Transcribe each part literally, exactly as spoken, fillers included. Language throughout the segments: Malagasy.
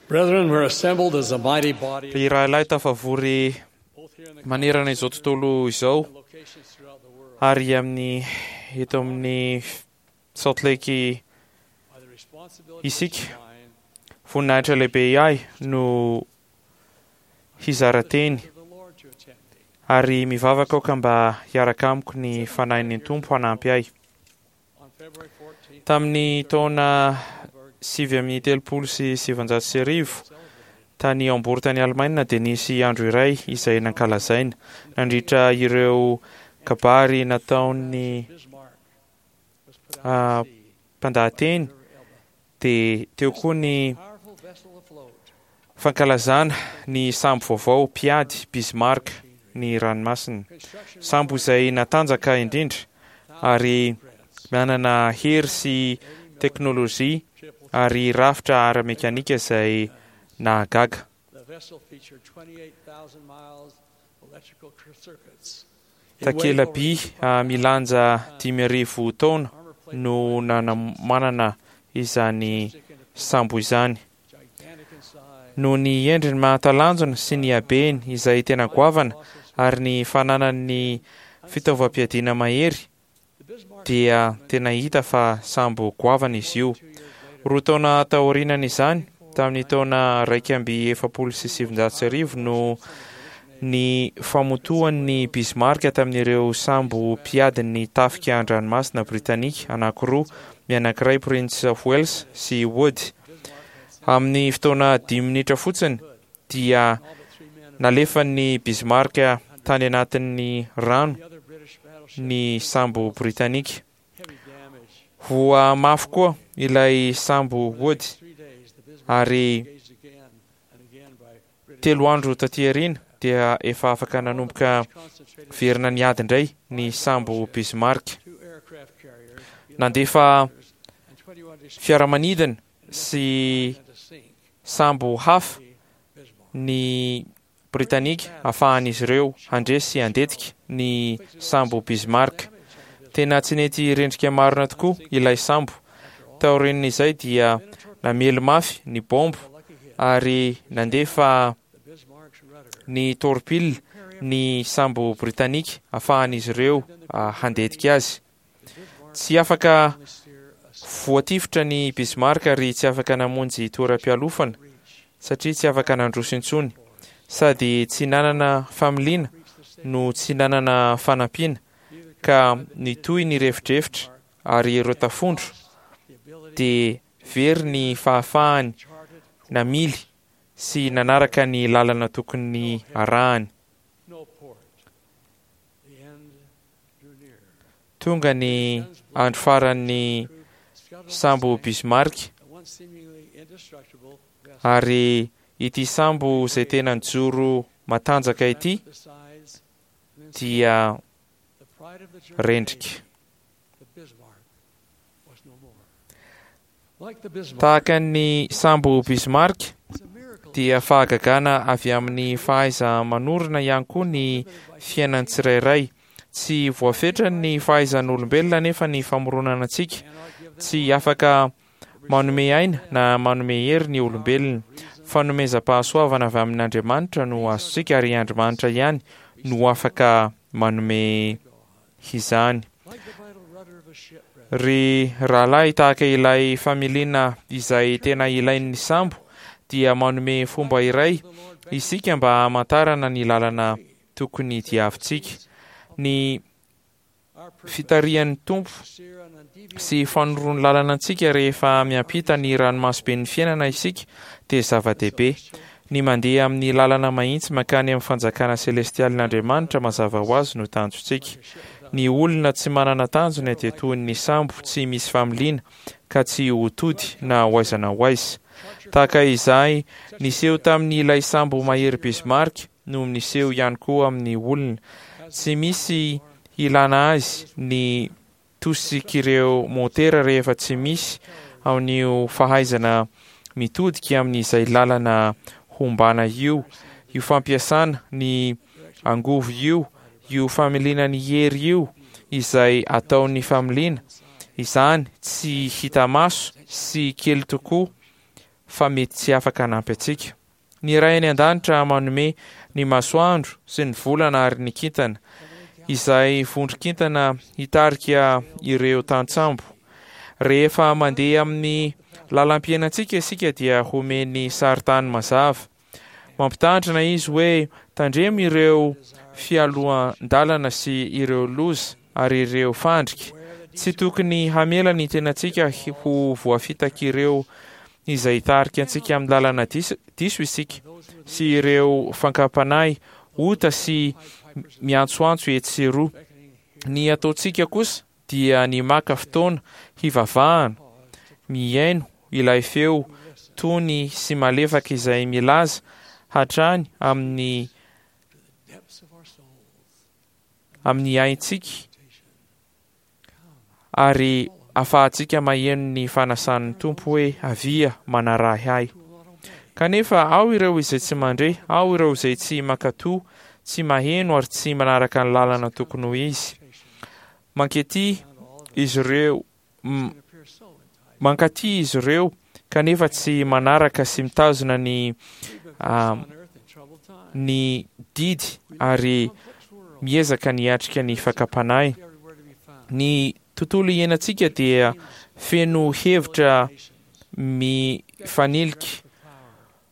Brethren, we're assembled as a mighty body Ry rahalahy tafavory both here in the manerana izao tontolo izao locations throughout the world ary amin'ny eto amin'ny Salt Lake by the responsibility isika. divine Voninahitra lehibe ahy no hizara teny of the Lord to attend me. ary mivavaka aoka mba hiaraka amiko ny fanahin'ny Tompo hanampy ahy. On February fourteenth, Tamin'ny taona sivy amin'ny telopolo sy sivanjato sy arivo tany Hambourg tany Alemaina dia nisy andro iray izay nankalazaina nandritra ireo kabary nataon'ny Bismarck was put ah, out to sea mpandahateny by the River Elbe. dia teo koa ny Powerful vessel afloat, fankalazana ny sambo vaovao mpiady Bismarck ny ranomasina. construction Sambo izay natanjaka indrindra ary manana hery sy teknôlôjia ary rafitra ara-mekanika izay nahagaga. The vessel featured twenty-eight thousand miles of electrical circuits. It weighed over Takela-by ah, milanja dimy arivo taona armor plate no nanamanana izany sambo izany. gigantic in size. Noho ny endriny mahatalanjona sy ny habeny izay tena goavana ary ny fananany fitaovam-piadiana mahery The Bismarck dia tena hita fa sambo goavana izy io. two years later Roa taona taorianan'izany, tamin'ny taona raika amby efapolo sy sivinjato sy arivo no ny famotoan'ny Bismarck tamin'ireo sambo mpiadin'ny tafika an-dranomasina Britanika anankiroa, ny anankiray Prince of Wales sy Wood. Amin'ny fotoana dimy minitra fotsiny dia all but three men of nalefan'ny Bismarck tany anatin'ny rano the other British battleship ny sambo Britanika. heavy damage. Voa mafy koa ilay sambo Wood Three days the Bismarck ary engaged again and again by British telo andro taty aoriana dia efa afaka nanomboka concentrated verina niady indray ny sambo Bismarck. two aircraft carriers Nandefa and twenty-one destroyers fiaramanidina sy to sink sambo hafa the Bismarck. ny Britanika ahafahan'izy ireo handresy sy handetika ny sambo Bismarck. Tena tsy nety rendrika marina tokoa ilay sambo. Taorian'izay dia namely mafy ny bomba Lucky hit, ary nandefa the Bismarck's rudder. ny torpille ny sambo Britanika ahafahan'izy ireo ah, handetika azy. Tsy afaka Only steer a voatifitra ny Bismarck ary tsy afaka namonjy toeram-pialofana reach. satria tsy afaka nandroso intsony. Sady tsy nanana familiana Reach the state. no tsy nanana fanampiana Neither ka nitohy ny refidrefitra ary ireo tafondro the ability dia very ny fahafahany charted namily sy nanaraka ny lalana tokony arahany. no port. The end drew near. Tonga ny andro faran'ny Scuttled sambo the Bismarck once seemingly indestructible vessel. ary ity sambo izay tena nijoro matanjaka ity The sides and then dia the pride of the German rendrika. navy, the Bismarck, was no more. Like the Bismarck, Tahaka ny sambo Bismarck it's a miracle dia fahagagana avy amin'ny fahaiza-manorina ihany koa ny fiainan'ny tsirairay. Tsy voafetra ny fahaizan'olombelona nefa ny famoronana antsika cannot give them tsy afaka manome aina na manome hery ny olombelona. Fanomezam-pahasoavana avy amin'Andriamanitra no azontsika ary Andriamanitra ihany no afaka manome izany. like the vital rudder of a ship, brethren. Ry rahalahy, tahaka ilay familiana izay tena ilain'ny sambo dia manome fomba iray The Lord isika mba hamantarana ny lalana tokony diavintsika. Ny our purpose fitarihan'ny Tompo to steer an undeviating sy fanorony lalana antsika rehefa miampita ny ranomasoben'ny fiainana isika dia zava-dehibe. Ny mandeha amin'ny lalana mahitsy mankany amin'ny fanjakana selestialin'Andriamanitra mazava ho azy no tanjontsika. Ny olona tsy manana tanjona dia toy ny sambo tsy misy familiana ka tsy ho tody na ho aiza na ho aiza. Tahaka izay niseho tamin'ilay sambo mahery Bismarck no niseho ihany koa amin'ny olona. Tsy misy ilana azy ny tosik'ireo motera rehefa tsy misy amin'io fahaizana mitodika amin'izay lalana hombana io, io fampiasana ny angovo io, io familiana ny hery io izay ataon'ny familiana. Izany tsy hita maso sy kely tokoa fa mety tsy afaka hanampy antsika. Ny Ray any an-danitra manome ny masoandro sy ny volana ary ny kintana, izay vondron-kintana hitarika ireo tantsambo. Rehefa mandeha amin'ny lalam-piainantsika isika dia homeny sarintany mazava. Mampitandrina izy hoe tandremo ireo fialohan-dalana sy ireo loza ary ireo fandrika. Tsy tokony hamela ny tenantsika ho voafitak'ireo izay hitarika antsika amin'ny lalana diso isika sy ireo fakam-panahy ota sy miantsoantso etsy sy eroa. Ny ataontsika kosa dia ny maka fotoana hivavahana, mihaino ilay feo tony sy malefaka izay milaza hatrany amin'ny amin'ny aintsika ary ahafahantsika maheno ny fanasan'ny Tompo hoe avia manarahy ahy. Kanefa ao ireo izay tsy mandre, ao ireo izay tsy mankatò, tsy maheno ary tsy manaraka ny lalana tokony ho izy. Mankaty izy ireo, mankaty izy ireo kanefa tsy manaraka sy mitazona ny ny didy ary miezaka ny hiatrika ny fakam-panahy. Ny tontolo iainantsika dia feno hevitra mifanilika,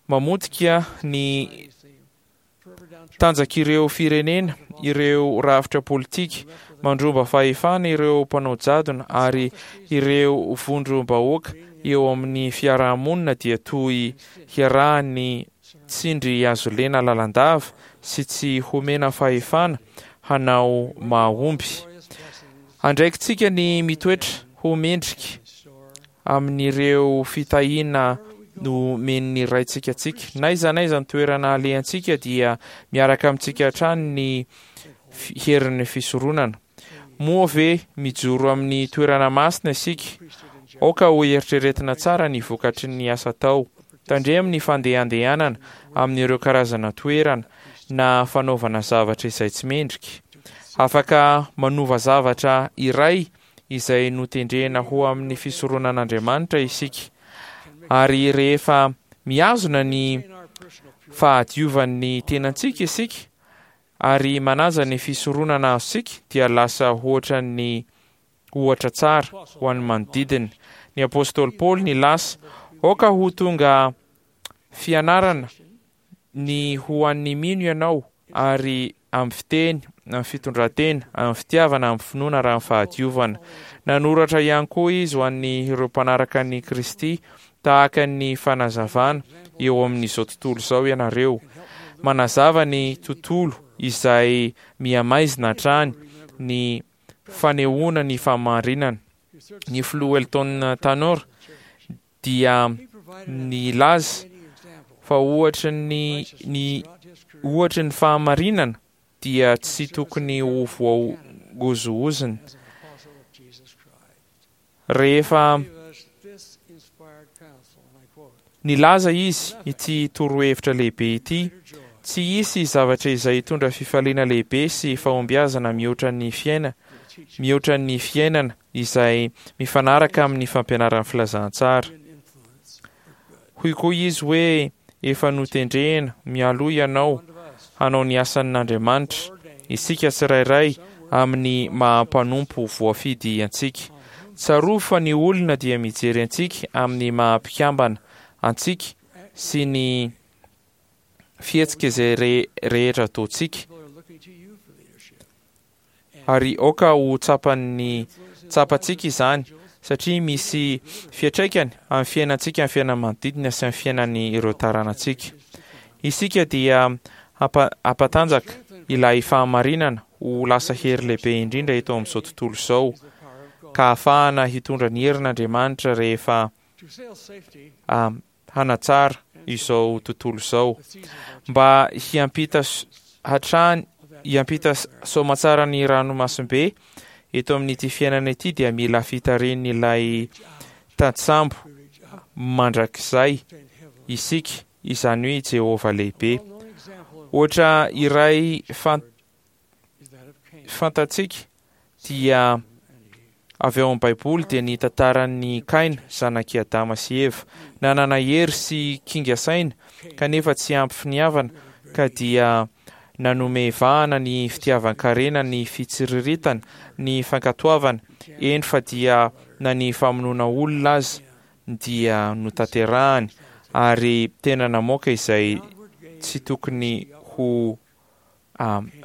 mamotika ny tanjak'ireo firenena, ireo rafitra politika, mandromba fahefana ireo mpanao jadona ary ireo vondrom-bahoaka eo amin'ny fiarahamonina dia toy hiarahan'ny tsindry hazolena lalandava sy tsy homena fahefana hanao mahomby. Andraikitsika ny mitoetra ho mendrika amin'ireo fitahiana nomen'ny Raintsika antsika. Na aiza na aiza ny toerana alehantsika dia miaraka amintsika hatrany ny herin'ny fisoronana. Moa ve mijoro amin'ny toerana masina isika? Aoka ho eritreretina tsara ny vokatry ny asa atao. Tandremo ny fandehandehanana amin'ireo karazana toerana na fanaovana zavatra izay tsy mendrika. Afaka manova zavatra iray izay notendrena ho amin'ny fisoronan'Andriamanitra isika. Ary rehefa mihazona ny fahadiovan'ny tenantsika isika ary manaja ny fisoronana azontsika dia lasa ohatran'ny ohatra tsara ho an'ny manodidina. Ny apostoly Paoly nilaza, aoka ho tonga fianarana ny ho an'ny mino ianao ary amin'ny fiteny, amin'ny fitondran-tena, amin'ny fitiavana, amin'ny finoana ary amin'ny fahadiovana. Nanoratra ihany koa izy ho an'ireo mpanaraka an'i Kristy tahaka ny fanazavana eo amin'izao tontolo izao ianareo. Manazava ny tontolo izay mihamaizina hatrany ny fanehoana ny fahamarinana. Ny filoha Elton Tanor dia nilaza fa ohatry ny ny ohatry ny fahamarinana dia tsy tokony ho voaozongozona. Rehefa nilaza izy ity torohevitra lehibe ity, tsy hisy zavatra izay hitondra fifaliana lehibe sy fahombiazana mihoatra ny fiaina, mihoatra ny fiainana izay mifanaraka amin'ny fampianaran'ny filazantsara. Hoy koa izy hoe efa notendrena mialoha ianao hanao ny asan'Andriamanitra, isika tsirairay amin'ny maha-mpanompo voafidy antsika. Tsarovy fa ny olona dia mijery antsika amin'ny maha-mpikambana antsika sy ny fihetsika izay rehetra ataontsika. Ary aoka ho tsapan'ny tsapantsika izany satria misy fiantraikany amin'ny fiainantsika, amin'ny fiainan'ny manodidina sy amin'ny fiainan'ireo taranantsika. Isika dia hampatanjaka ilay fahamarinana ho lasa hery lehibe indrindra eto amin'izao tontolo izao ka ahafahana hitondra ny herin'Andriamanitra rehefa hanatsara izao tontolo izao mba hiampita hatrany hiampita soamantsara ny ranomasimbe eto amin'ity fiainana ity dia mila fitarihan'ilay tantsambo mandrakizay isika, izany hoe Jehovah lehibe. Ohatra iray fantatsika dia avy ao amin'ny Baiboly dia ny tantaran'ny Kaina, zanak'i Adama sy Eva. Nanana hery sy kinga saina kanefa tsy ampy finiavana, ka dia nanome vahana ny fitiavan-karena, ny fitsiriritana, ny fankatoavana, eny fa dia na ny famonoana olona aza dia notanterahany, ary tena namoaka izay tsy tokony ho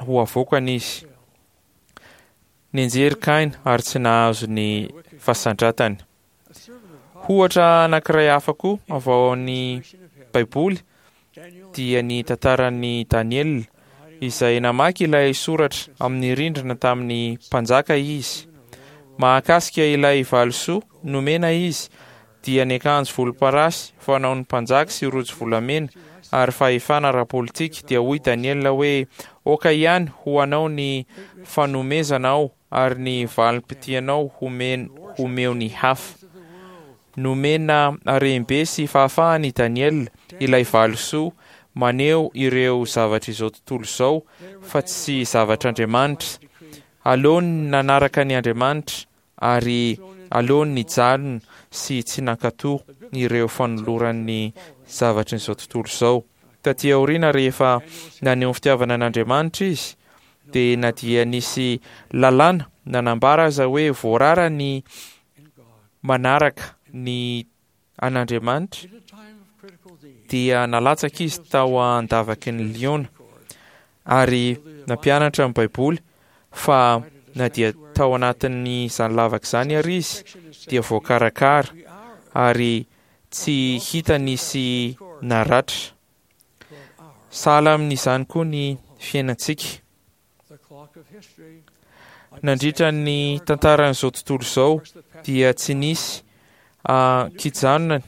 ho avoakany izy. Nianjery Kaina ary tsy nahazo ny fasandratany. Ohatra anankiray hafa koa avy ao amin'ny Baiboly dia ny tantaran'i Daniela, izay namaky ilay soratra amin'ny rindrina tamin'ny mpanjaka izy. Mahakasika ilay valisoa nomena izy, dia ny akanjo volomparasy fanaon'ny mpanjaka sy rojo volamena ary fahefana ara-politika, dia hoy Daniela hoe: "Aoka ihany ho anao ny fanomezanao ary ny valim-pitianao homen homeo ny hafa." Nomena harem-be sy fahafahana i Daniela, ilay valisoa maneho ireo zavatra izao tontolo izao fa tsy zavatr'Andriamanitra. Aleony nanaraka ny Andriamanitra ary aleony nijanona sy tsy nankatò ireo fanoloran'ny zavatry izao tontolo izao. Taty aoriana, rehefa naneho ny fitiavana an'Andriamanitra izy, dia na dia nisy lalàna nanambara aza hoe voarara ny manaraka ny an'Andriamanitra, dia nalatsaka izy tao an-davaky ny liona, ary nampianatra ny Baiboly fa na dia tao anatin'izany lavaka izany ary izy dia voakarakara ary tsy hita nisy naratra. Sahala amin'izany koa ny fiainantsika. Nandritra ny tantaran'izao tontolo izao dia tsy nisy ankijanona,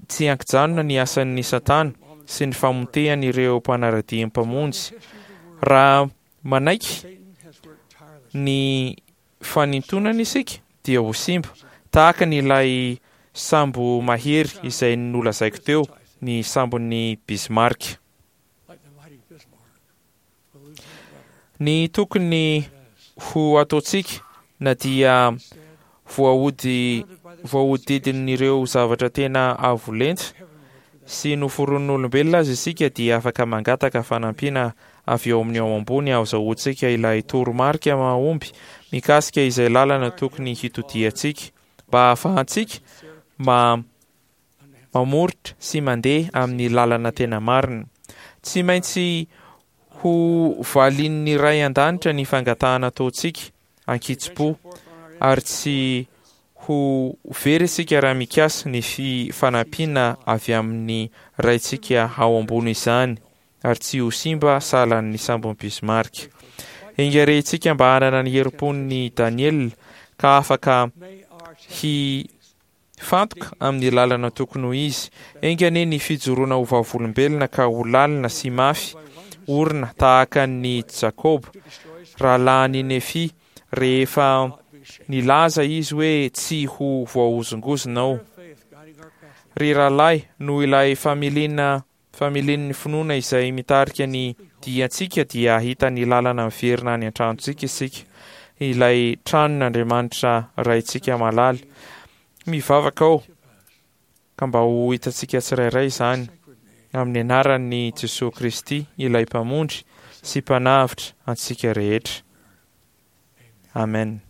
tsy ankijanona ny asan'ny Satana sy ny famotehany ireo mpanara-dia mpamonjy. Raha manaiky ny fanintonana isika dia ho simba, tahaka ny ilay sambo mahery izay nolazaiko teo, ny sambon'ny Bismarck. Ny tokony ho ataontsika na dia voaody voahodidin'ireo zavatra tena avo lenta sy noforonin'olombelona aza isika, dia afaka mangataka fanampiana avy eo amin'ny ao ambony ahazoantsika ilay toromarika mahomby mikasika izay lalana tokony hitodiantsika, mba hahafahantsika ma mamoritra sy mandeha amin'ny lalana tena marina. Tsy maintsy ho valin'ny Ray an-danitra ny fangatahana ataontsika ankitsim-po, ary tsy ho very isika raha mikasa ny fanampiana avy amin'ny Raintsika ao ambony izany, ary tsy ho simba sahalan'ny sambon'i Bismarck. Enga-rehintsika mba hanana ny herim-pon'ny Daniela ka afaka hifantoka amin'ny lalana tokony ho izy. Enga anie ny fijoroana ho vavolombelona ka ho lalina sy mafy orina tahaka ny Jakoba, rahalahin'i Nefia, rehefa nilaza izy hoe tsy ho voahozongozona aho. Ry rahalahy, noho ilay familiana familian'ny finoana izay mitarika ny diantsika, dia hahita ny lalana miverina any an-tranontsika isika, ilay tranon'Andriamanitra Raintsika malala. Mivavaka aho ka mba ho hitantsika tsirairay izany, amin'ny anaran'i Jesoa Kristy, ilay Mpamonjy sy Mpanavotra antsika rehetra. Amen.